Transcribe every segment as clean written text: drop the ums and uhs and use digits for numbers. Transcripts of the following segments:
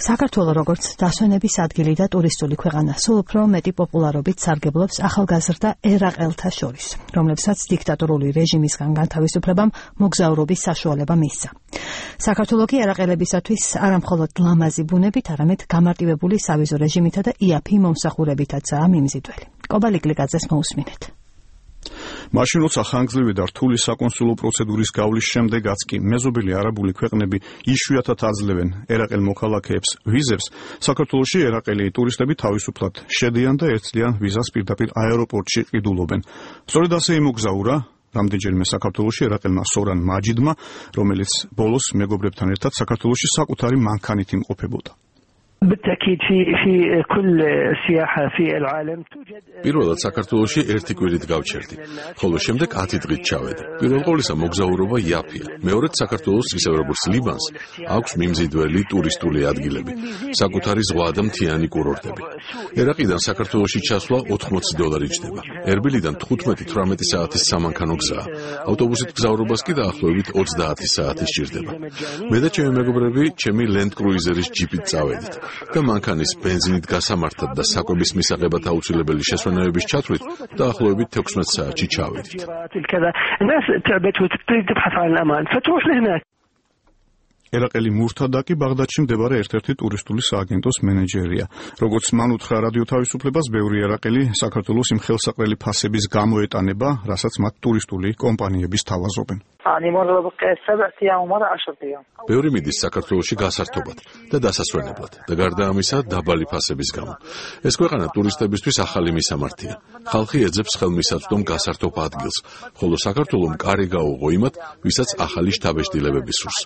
საქართველო როგორც დასვენების ადგილი და ტურისტული ქვეყანა სულ უფრო მეტი პოპულარობით სარგებლობს ახალგაზრდა ერაყელთა შორის, რომლებსაც დიქტატორული რეჟიმისგან განთავისუფლებამ მოგზაურობის საშუალება მისცა. საქართველო კი ერაყელებისათვის არა მხოლოდ ლამაზი ბუნებით, არამედ გამარტივებული სავიზო რეჟიმითა და იაფი მომსახურებითაცაა მიმზიდველი. კობალი გლიკაძეს მოусმინეთ. მაშინ როცა ხანგრძლივი და რთული საკონსულო პროცედურის გავლის შემდეგაც კი მეზობელი არაბული ქვეყნები იშვიათად აძლევენ ერაყელ მოქალაქეებს ვიზებს, საქართველოში ერაყელი ტურისტები თავისუფლად შედიან და ერთწლიან ვიზას პირდაპირ აეროპორტში ყიდულობენ. სწორედ ასე იმოგზაურა რამდენჯერმე საქართველოში ერაყელმა სორან მაჯიდმა, რომელიც ბოლოს მეგობრებთან ერთად საქართველოში საკუთარი მანქანით იმყოფებოდა. პირველად საქართველოში ერთი კვირით გავჩერდი, ხოლო შემდეგ 10 დღით ჩავედი. პირველ ყოვლისა მოგზაურობა იაფია. მეორედ საქართველოს ისევე როგორც ლიბანს აქვს მიმზიდველი ტურისტული ადგილები, საკუთარი ზღვა და მთიანი კურორტები. ერაყიდან საქართველოში ჩასვლა $80 ჯდება. ერბილიდან 15-18 საათის სამანქანო გზაა. ავტობუსით გზავრობას კი დაახლოებით 30 საათი სჭირდება. მე და ჩემი მეგობრები ჩემი Land Cruiser-ის ჯიპით წავედით. და მანქანის ბენზინით გასამართად და საკვების მისაღებად აუცილებელი შესვენებების ჩათვლით დაახლოებით 16 საათში ჩავედით. ერაყელი მურთადაკი ბაღდადში მდებარე ერთ-ერთი ტურისტული სააგენტოს მენეჯერია. როგორც მან უთხრა რადიო თავისუფლებას, ბევრი ერაყელი საქართველოს იმ ხელსაყრელი ფასების გამო ეტანება, რასაც მათ ტურისტული კომპანიები სთავაზობენ. ბევრი მიდის საქართველოში გასართობად და დასასვენებლად და გარდა ამისა დაბალი ფასების გამო. ეს ქვეყანა ტურისტებისთვის ახალი მისამართია. ხალხი ეძებს ხელმისაწვდომ გასართობ ადგილს, ხოლო საქართველომ კარი გაუღო იმათ, ვისაც ახალი შთაბეჭდილებები სურს.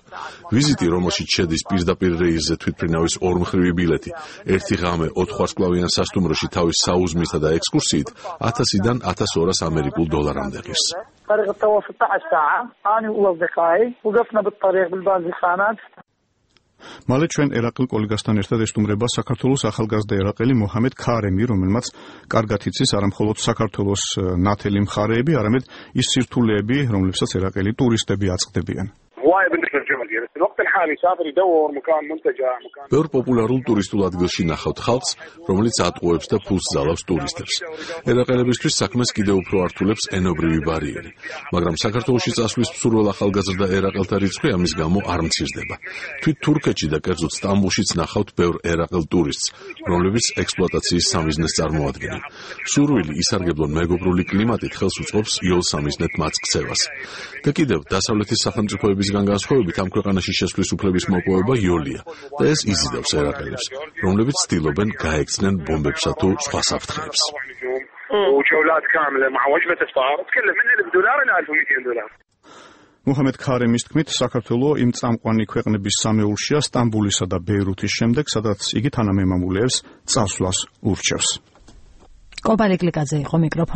ვიზიტი, რომელშიც შედის პირდაპირ რეისზე თვითმფრინავის ორმხრივი ბილეთი, ერთი ღამე 4 ვარსკვლავიან სასტუმროში თავის საუზმითა და ექსკურსიით 1000-დან 1200 ამერიკულ დოლარამდე ღირს. طريق التواصل 12 ساعة أنا وأصدقائي وقفنا بالطريق بالبازخانات. მალე ჩვენ ერაყელ კოლეგასთან ერთად ესტუმრება საქართველოს ახალგაზრდა ერაყელი მოჰამედ ქარემი, რომელმაც კარგად იცის არა მხოლოდ საქართველოს ნათელი მხარეები, არამედ ის სირთულეები, რომლებსაც ერაყელი ტურისტები აწყდებიან. ბევრ პოპულარულ ტურისტულ ადგილში ნახავთ ხალხს, რომელიც ატყუებს და ფულს ზალავს ტურისტებს. ერაყელებისთვის საქმეს კიდევ უფრო ართულებს ენობრივი ბარიერი, მაგრამ საქართველოში წასვლის მსურველ ახალგაზრდა ერაყელთა რიცხვი ამის გამო არ მცირდება. თვით თურქეთში და კერძოდ სტამბულშიც ნახავთ ბევრ ერაყელ ტურისტს, რომლებიც ექსპლუატაციის სამიზნეს წარმოადგენენ. სურვილი ისარგებლონ მეგობრული კლიმატით ხელს უწყობს იოლ სამიზნედ მათ ქცევას. და კიდევ დასავლეთის სახელმწიფოებისგან განსხვავებით ამ ქვეყანაში შესვლის უფლების მოპოვება იოლია და ეს იზიდავს ერაყელებს, რომლებიც ცდილობენ გაექცნენ ბომბებსა თუ სხვა საფრთხეებს. მოჰამედ ქარემის თქმით, საქართველო იმ წამყვანი ქვეყნების სამეულშია სტამბულისა და ბეირუთის შემდეგ, სადაც იგი თანამემამულეებს წასვლას ურჩევს. კობალი გლიკაძე იყო მიკროფონში.